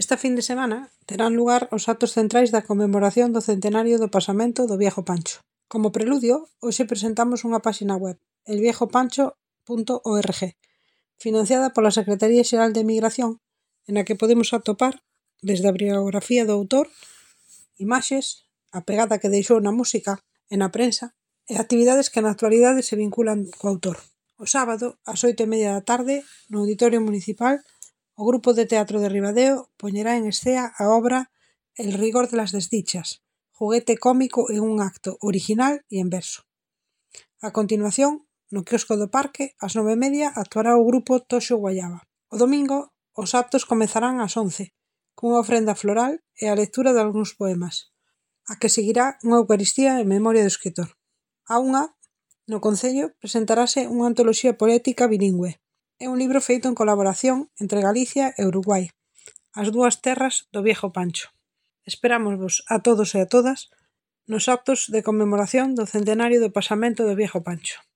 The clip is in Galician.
Esta fin de semana terán lugar os actos centrais da conmemoración do centenario do pasamento do Viejo Pancho. Como preludio, hoxe presentamos unha páxina web, elviejopancho.org, financiada pola Secretaría Xeral de Emigración, na que podemos atopar, desde a biografía do autor, imaxes, a pegada que deixou na música e na prensa, e actividades que na actualidade se vinculan co autor. O sábado, ás 8:30 da tarde, no Auditorio Municipal, o Grupo de Teatro de Ribadeo poñerá en escea a obra El rigor de las desdichas, xoguete cómico en un acto original e en verso. A continuación, no quiosco do parque, ás 9:30, actuará o grupo Toxo Guayaba. O domingo, os actos comezarán ás 11, cunha ofrenda floral e a lectura de algúns poemas, a que seguirá unha Eucaristía en memoria do escritor. A unha, no Concello, presentarase unha antoloxía poética bilingüe. É un libro feito en colaboración entre Galicia e Uruguai, as dúas terras do Viejo Pancho. Esperámosvos a todos e a todas nos actos de conmemoración do centenario do pasamento do Viejo Pancho.